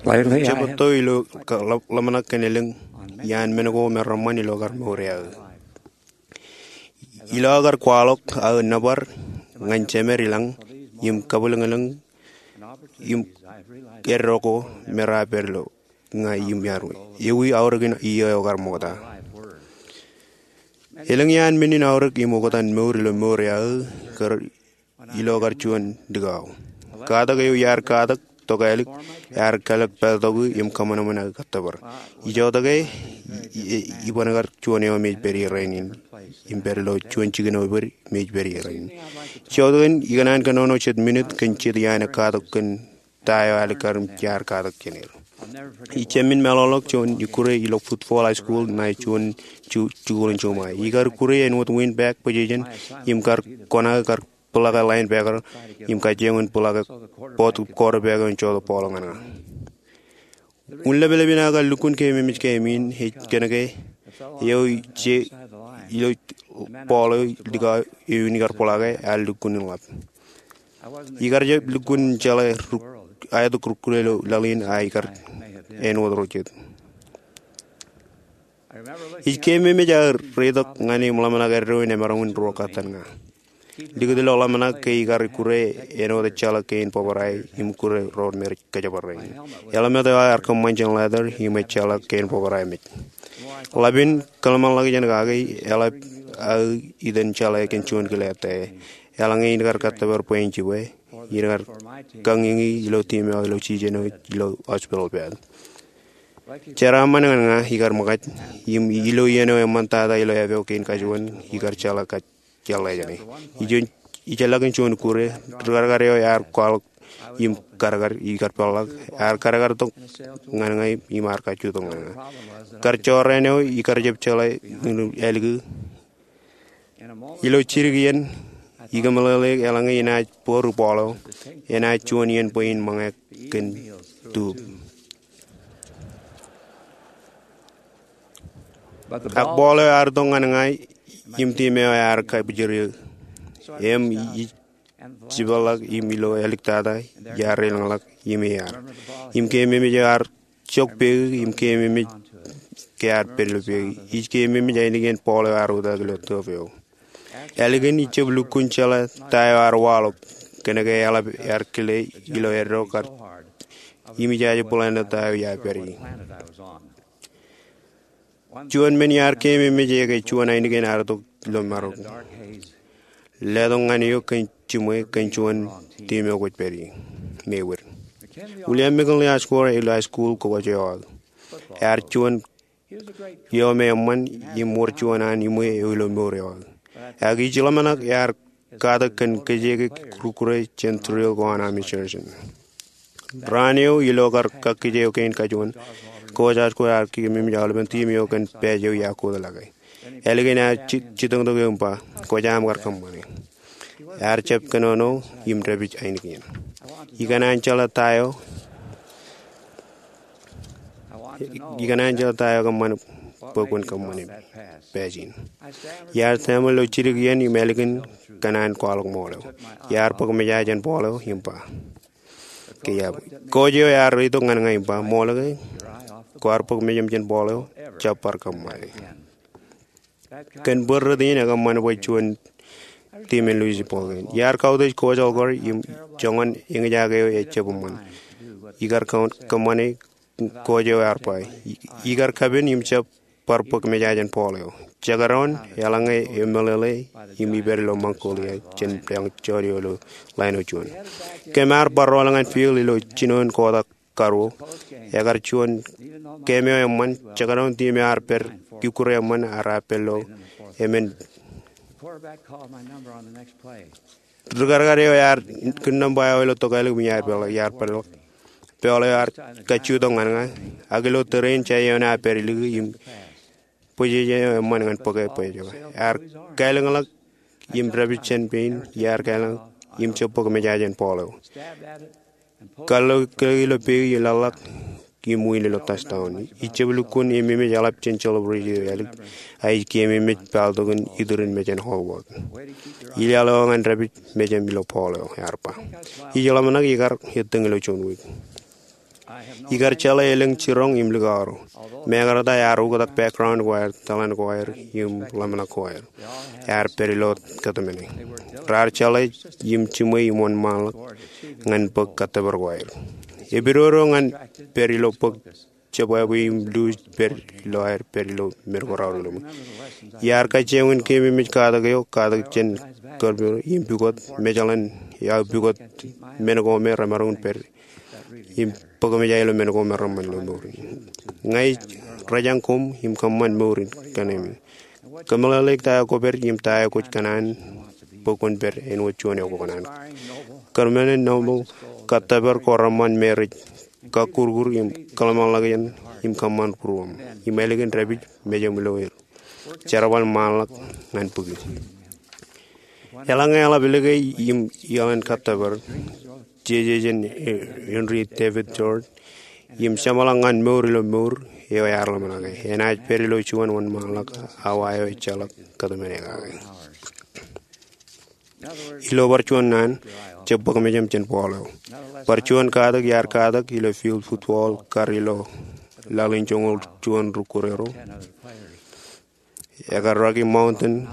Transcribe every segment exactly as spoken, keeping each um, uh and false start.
Lately, I jab have etto ilo ka-, ḷō-, ḷōmṇak kōn elōñ iaan men ko me reṃṃan ilo kar mour eo aō. Ilo aō kar kwaḷọk aō nōbar ñan jemed ilañ im kabwilōñlōñ im eddo ko me rej pād ilo ña im iar wōj. Ewi aorōk in iiō eo kar ṃokta. Elōñ iaan men in aorōk im oktak in mour ilo mour eo aō kar ilo kar juon likao. Katak eo iar katak tokālik ear kalōk pād tok im kōṃanṃan aō kōttōpar. Ijoko e, i-, i-, iban kar juon eo me ej pād ie rainin im pād ilo juon jikin eo ej pād ie rainin. Ijoko e, ikōṇaan kōnono jet minit kōn jet iaan katak kōn ta eo alikkar im iar katak jān er. Ij jab men meḷọkḷọk juon ikkure ilo Football High School ṇae juon ju-, jikuuḷ in juṃae. Ikar ikkure āinwōt windbag position im kar kōṇaan kar bōḷọke linebacker im kajjioñ in bōḷọke bōd quarterback eo in jotok ball ñan ña. Wūn leplepen aō kar lukkuun keememej keememej ej kōnke eo ije ilo ball eo likao eo in ikar bōḷọke ear lukkuun in ḷap. Ikar jab lukkuun jeḷā ruk-, aetok rukkure ilo laḷ in a ikar āinwōt ro jet. Ij keememej aō reitok ñan im ḷōmṇak eddo in emaroñ in ruo kōttan ña. Likūt ilo ḷōmṇak ke ikar ikkure āinwōt ejjeḷọk kein bōbrae im ikkure ro me rej kōjparok rein. Helmet eo ear kōṃṃan jān leather im ejjeḷọk kein bōbrae mej. Ḷap in kōḷmānḷọkjeṇ kake eḷap aō itan jeḷā kōn juon kile etae. Eḷaññe in kar kōttōpar bwe in jibwe, in kar kañiñi ilo team eo ilo season eo ilo hospital bed. Jeraaṃṃan ñan ña ikar ṃōkaj, im ilo iien eo eṃṃantata ilo epeo kein kajuon, ikar jeḷā kōj jeḷā jāne. Ijeḷọkin juon ikkure, rikarkar eo ear kwaḷọk im karkar ikar peḷḷọk, ear karkar tok ñan ña im ear kajju tok ñan ña. Kar jorrāān eo ikar jab jeḷā in ālikin. Ilo jidik iien, ikōmeḷeḷe eḷaññe inaaj bōro ball eo, enaaj juon iien bwe in ṃōñā kōn tube. Ak ball eo ear tok ñan ña im team eo ear kabwijeri. Im ij jipeḷḷọk im ilo āliktata iar reilañḷọk im iar. Im keememej eo ear jok peik im keememej ke ear pād ilo peik. Ij keememej ainikien ball eo ear oktak ilo tube eo. Ālikin ij jab lukkuun jeḷā ta eo ear waḷọk kōnke eḷap ear kile ilo eddo kar im ijaje bōḷāān ta eo iar pād ie. Juon men iar keememej e ke juon ainikien ear tok ilo marok. Letok ñan eok kōn jiṃwe kōn juon team eo kwōj pād ie. Mewōr. William McKinley Osgood ilo high school kōj eo aō. Ear juon eo me eṃṃan im wōr juon an iṃwe eo ilo mour eo aō. Ak ij ḷōmṇak ear katak kōn kōjeke rukkure jān drill ko an Army Sergeant. Raan eo ilo kar kakkije eo kein kajuon, Coach Osgood ear keememej aolepen team eo kōn pāj eo iar kōtḷọke. Ālikin ear ji-, jitōñtok eō im ba, kwōjaṃ kar kōṃṃane. Ear jab kōnono im dāpij ainikien. Ikōṇaan jeḷā ta eo Ikōṇaan jeḷā ta eo kōṃṃan bwe kwōn kōṃṃane pāj in. Iar stammer ilo jidik iien im ālikin kōṇaan kwaḷọk ṃool eo. Iar bōk meja jān ball eo im ba. Ke iar, coach eo ear reitok ñan ña im ba, ṃool ke kwaar bōk mejaṃ jān ball eo, jab bar kōṃṃane. Kōn bōd rot in ekōṃṃan bwe juon team in Louisville ball game. Iar kautiej Coach Osgood im joñan eñjake eo ejab eṃṃan. Ikar kōn kōṃṃane, coach eo ear ba. Ikar kapen im jab bar bōk meja jān ball eo. Jekdọọn eḷaññe emeḷeḷe im ipād ilo Mongolia jān lōñ jọọd eo ilo line eo juon. Kōm ar bar rool ñan field ilo jinoin kwotak karuo. Ekar juon game eo eṃṃan, jekdọọn team eo ar pād ikkure eṃṃan ear pād ilo emān. Rikarkar eo ear kūr nōṃba eo ilo tokālik im iar pād, iar pād. Ball eo ear kajju tok ñan ña. Ak ilo tōre in jān ioon ear pād lik im bōjjāān eo eṃṃan ñan bōke bwe ejab. Ear kālōñḷọk im dāpij jān pein, iar kālōñḷọk im jab bōk meja jān ball eo. Kar lo kile ilo peik im laḷḷọk im win ilo touchdown. Ij jab lukkuun im eṃōj eḷap jān celebration eo ālik. A ij keememej pāltok in iturin mejān Hallmark. Ilaḷ eo ñan dāpij mejaṃ ilo ball eo, ear ba. Ij ḷōmṇak ikar ettōñ ilo juon wiik. Ikar jeḷā elōñ jiroñ im likao ro. Mekarta ear oktak background choir, tōḷan choir im ḷōmṇak choir. Ear pād ilo kōtmāne. Raar jeḷā im jiṃwe im wōnṃaanḷọk ñan bōk kōttōpar ko aer. Epidodo ñan pād ilo bōk jebwābwe im luuj pād ilo aer pād ilo men ko raorōk ilo ṃōk. Iar kajjioñ in keememej katak eo, katak jān kōrpū im pukot, mejaḷ in aō pukot men ko me remaroñ in pād im bōk mejān ilo men ko me reṃṃan ilo mour in. Ña ij rōjañ koṃ im kōṃṃan mour in kōn eṃṃan. Kōmeḷeḷeik ta eo kwōpād im ta eo kwōj kōṇaan bwe kwōn pād āinwōt juon eo kwō kōṇaan. Kōrmāne noble kōttōpar ko reṃṃan me rej kakkurkur im kōḷmānḷọkjeṇ im kōṃṃan būruōṃ im ālikin dāpij mejaṃ ilo er. Jerbal ṃaanḷọk ñan bōki. Eḷaññe eḷap lōke im iaḷ in kōttōpar, jeje jān Henry David Thoreau, im jeṃḷọk ñan mour ilo mour eo ear ḷōmṇake, enaaj pād ilo juon wōnṃaanḷọk awa eo ejjeḷọk kōtmāne kake. Ilo bar juon naan, jab bōk mejaṃ jān ball eo. Bar juon katak iar katak ilo field football kar ilo laḷ in joñoul juon rūkūrero. Ekar Rocky Mountain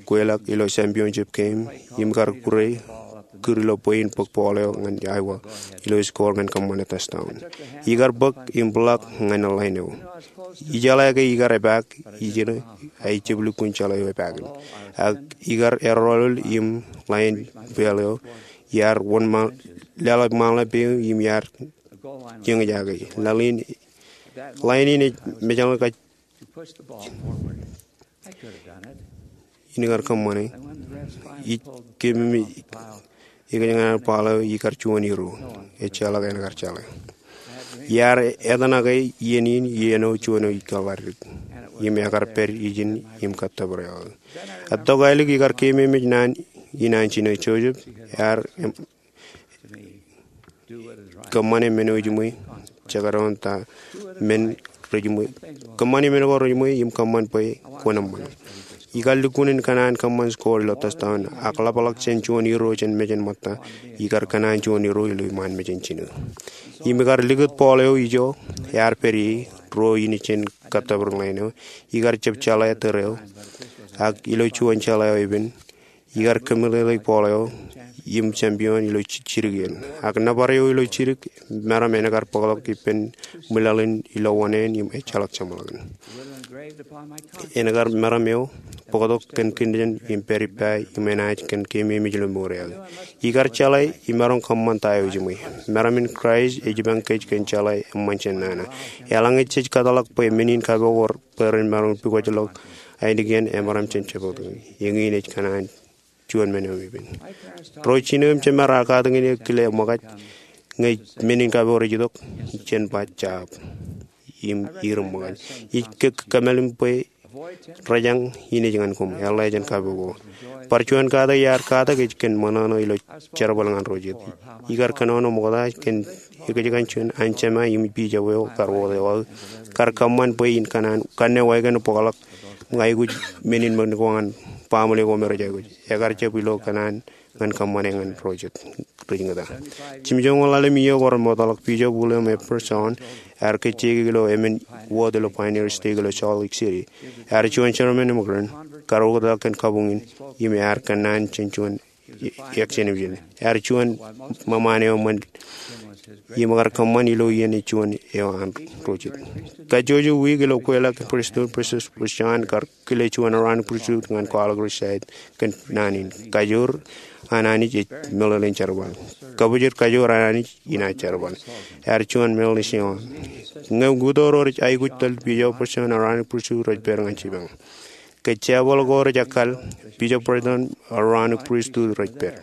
kweilọk ilo championship game im kar kūr ilo bwe in bōk ball eo ñan Iowa ilo score ñan kōṃṃane touchdown. Ikar bōk im block ñan line eo. Ijeḷā ke ikar epaak ijin, ak ij jab lukkuun jeḷā eo epaak in. Ak ikar erọọlọọl im line ball eo iar wōnṃaanḷọk, leḷọk ṃaanḷọk peiū im iar jeñjake. Line in ej mejaḷ kōj in kar kōṃṃane. Ij keememej ikōjkan ball eo ikar juon iru. Ejjeḷọk en kar jeḷā. Iar etanake iien in iien eo juon eo ikar ḷaddik im ekar pād ijin im kōttōpar eo. Etto ālikin ikar keememej naan in an jino Joseph, ear kōṃṃane men eo ejiṃwe, jekdọọn ta men rejiṃwe. Kōṃṃane men ko rejiṃwe im kōṃṃan bwe kwōn eṃṃan. Ikar lukkuun in kōṇaan kōṃṃan score ilo touchdown, ak ḷapḷọk jān juon iru jān mejān ṃōtta, ikar kōṇaan juon iru ilo iṃaan mejān jino. Im ikar likūt ball eo ijo, ear pād ie, ruo in jān kōttōpar line eo, ikar jab jeḷā tōre eo, ak ilo juon jeḷā eo epen, ikar kōmeḷeḷeik ball eo im champion ilo jidik in. Ak nōbar eo ilo jidik, meram en kar bōktok ippān ṃwilaḷ in ilo wōṇāān im ejjeḷọk jeṃḷọkin. En kar meram eo bōktok kōn kōnnaan im pād ippa im enaaj kōn keememej ilo mour eo. Ikar jeḷā im maroñ kōṃṃan ta eo ejiṃwe. Meram in Kraist ej jipañ kōj kōn jeḷā eṃṃan jān nana. Eḷaññe jej kōtḷọk bwe men in kapo ko bwe ren maroñ pukot ḷọk ainikien, emaroñ jān jebōt. Eñin ej kōṇaan juon men eo epen. Ro jino im jemān raar katakin eō kile ṃōkaj ñe men in kapo rej itok, jen ba jab im ir ṃōkaj. Ij kōmālim bwe rōjañ in ej ñan koṃ, eḷḷā jān kapo ko. Bar juon katak iar katak ej kōn ṃōṇōṇō ilo jerbal ñan ro jet. Ikar kōnono ṃokta kōn ekōjkan juon an jema im bishop eo kar wōt eo aō kar kōṃṃan bwe in kōṇaan kanne wāween bōkḷọk ñe aikuj men in men ko ñan baaṃle ko me rej aikuj. Ekar jab ilo kōṇaan ñan kōṃṃane ñan ro jet rej ñūta. Jimjuon ḷalem iiō ko remootḷọk, Bishop William F. Person ear kōjjeik ilo emān wōt ilo Pioneer Stake ilo Salt Lake City. Ear juon chairman eo ṃōkaj kar oktak kōn kabuñ in im ear kōnnaan jān juon action im jān ear juon ṃōṃaan eo ṃōn im kar kōṃṃan ilo iien eo juon eo an ro jet. Kajjojo wiik ilo kweilọk kōn pristut, Bishop Person kar kile juon Aaronic pristut ñan kwaḷọk ri side kōn naan in. Kajoor an Anij ej meḷeḷein jerbal. Kabōjor kajoor an Anij in an jerbal. Ear juon meḷeḷein jerbal. Ñe ukōt ro rej aikuj tōl Bishop Person, Aaronic pristut rej pād ñan jipañ. Ke jebal ko rej ekkar, Bishop Person, Aaronic pristut rej pād.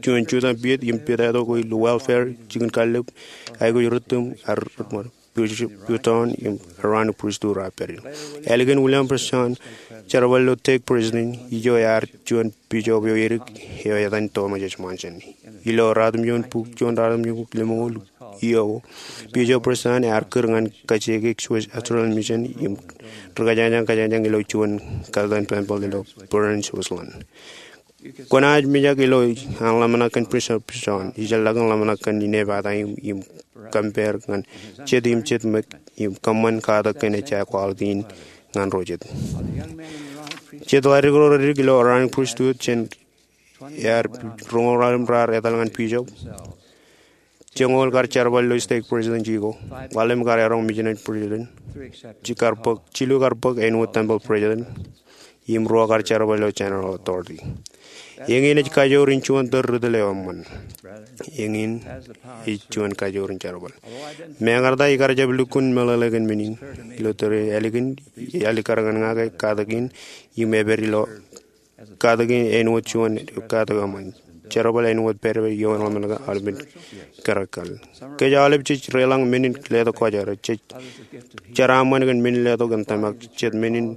Juon jutak piet im piet eto ko ilo welfare, jikin kallib, aikuj rūttum, ear rūttum. Bishop Person im Aaronic pristut raar pād. Ālikin William Person jerbal ilo stake president, ijo ear juon bishop eo edik eo etan Thomas S. Monson. Ilo ratimjuon buk, juon ratimjuon buk lemñoul iiō ko, Bishop Person ear kūr ñan kajjioñ Swiss Australian Mission im ri kōjañjañ kōjañjañ ilo juon katten tempeḷ ilo Bern, Switzerland. Kwōnaaj mijak ilo an ḷōmṇak kōn Bishop Person, ijellọkin ḷōmṇak kōn inepata im, im compare ñan jet im jet ṃōk im kōṃṃan katak kōn ejja quality in ñan ro jet. Jet ḷaddik ro reddik ilo Aaronic Priesthood jān ear roñoul ḷalem raar etal ñan bishop. Joñoul kar jerbal ilo stake president eo. Ḷalem kar eroñ missionary president. Jilu kar bōk, jilu kar bōk āinwōt temple president. Im ruo kar jerbal ilo general authority. Eñin ej kajoor in juon tōl ri tōl eo eṃṃan. Eñin ej juon kajoor in jerbal. Mekarta ikar jab lukkuun meḷeḷe kōn men in. Ilo tōre ālikin, ālik kar ñan ña ke katak in im epād ilo katak in āinwōt juon katak eṃṃan. Jerbal āinwōt pād eo eṃṃan ke aolepen kōrā kal. Kōj aolep jej reilañ men in letok kwōjarjar. Jej jeraaṃṃan kōn men in letok kōn tōmak jet men in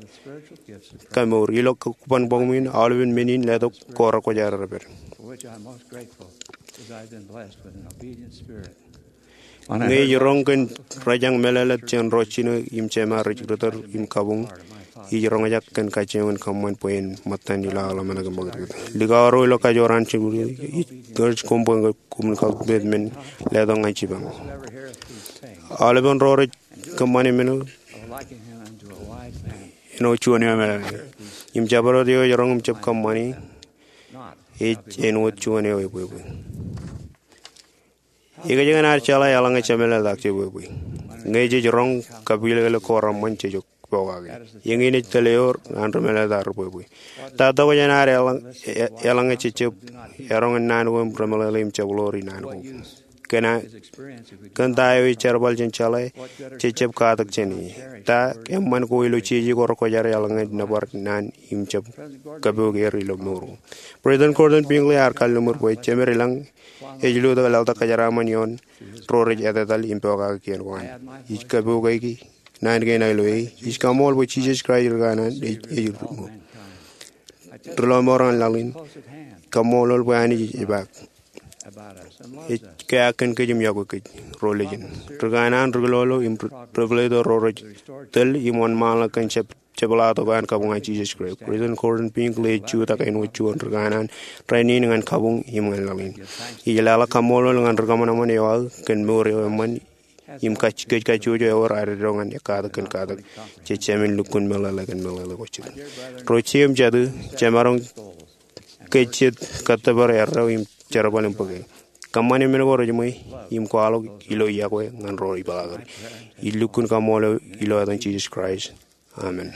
kamour. Ilo kōban bōk men in aolepen men in letok ko rekwōjarjar pād. Ñe ij roñ kōn rejañ meḷeḷe jān ro jino im jema rej ri tōl im kabuñ, ij roñjake kōn kajjioñ in kōṃṃan bwe en ṃōttan ilo aḷ ḷōmṇak im ṃakūtkūt. Likao ro ilo kajoor an jibwid, ij urge koṃ bwe koṃwin kautiej men letok ñan jipañ. Aolepen ro rej kōṃṃane men āinwōt juon eo emeḷeḷe. Im jabdewōt eo ej roñ im jab kōṃṃane ej āinwōt juon eo ebwebwe. Ikōjkan ad jeḷā eḷaññe jemeḷeḷetak jebwebwe. Ñe jej roñ kapileḷe ko reṃṃan jej pokake. Eñin ej tōl eo an ri meḷeḷetak ri bwebwe. Ta tokjān ad eḷaññe, eḷaññe jejjab eroñ in naan ko im remeḷeḷe im jab ḷoor in naan ko. Kōn ta eo ej jerbal jān jeḷā, jejjab katak jān e. Ta eṃṃan ko ilo jeje ko rekwōjarjar eḷaññe nōbar naan im jab kapook er ilo mour ko. President Gordon B. Hinckley ear kalliṃur bwe jemed ilañ ej lo tok laḷtak kōjeraaṃṃan ioon ro rej etetal im pokake kien ko an. Ij kapookaki naan kein aō ilo e. Ij kaṃṃool bwe Jisōs Kraist ri kanaan ej, ej ri mour. Ri lọmọọr ñan laḷ in. Kaṃṃoolol bwe Anij ej epaak. Ej keaak kōn kōj im yokwe kōj ro lejen. Ri kanaan, ri kilolo im ri, ri pāleto ro rej tōl im wōnṃaanḷọk kōn jab jepḷaaktok an kabuñ an Jisōs Kraist. President Gordon B. Hinckley ej jutak āinwōt juon ri kanaan rainin ñan kabuñ im ñan laḷ in. Ij leḷọk kaṃṃoolol ñan ri kōṃanṃan eo aō kōn mour eo eṃṃan im kōj kajjojo ewōr ad eddo ñan katak kōn katak. Jej jāmin lukkuun meḷeḷe kōn meḷeḷe ko jet. Ro jet im jatū, jemaroñ ke jet kōttōpar erreo im jerbal im bōke. Kōṃṃane men ko rejiṃwe im kwaḷọk ilo yokwe ñan ro ipeḷaakeri. Ij lukkuun kaṃṃoolol ilo etan Jisōs Kraist. Amen.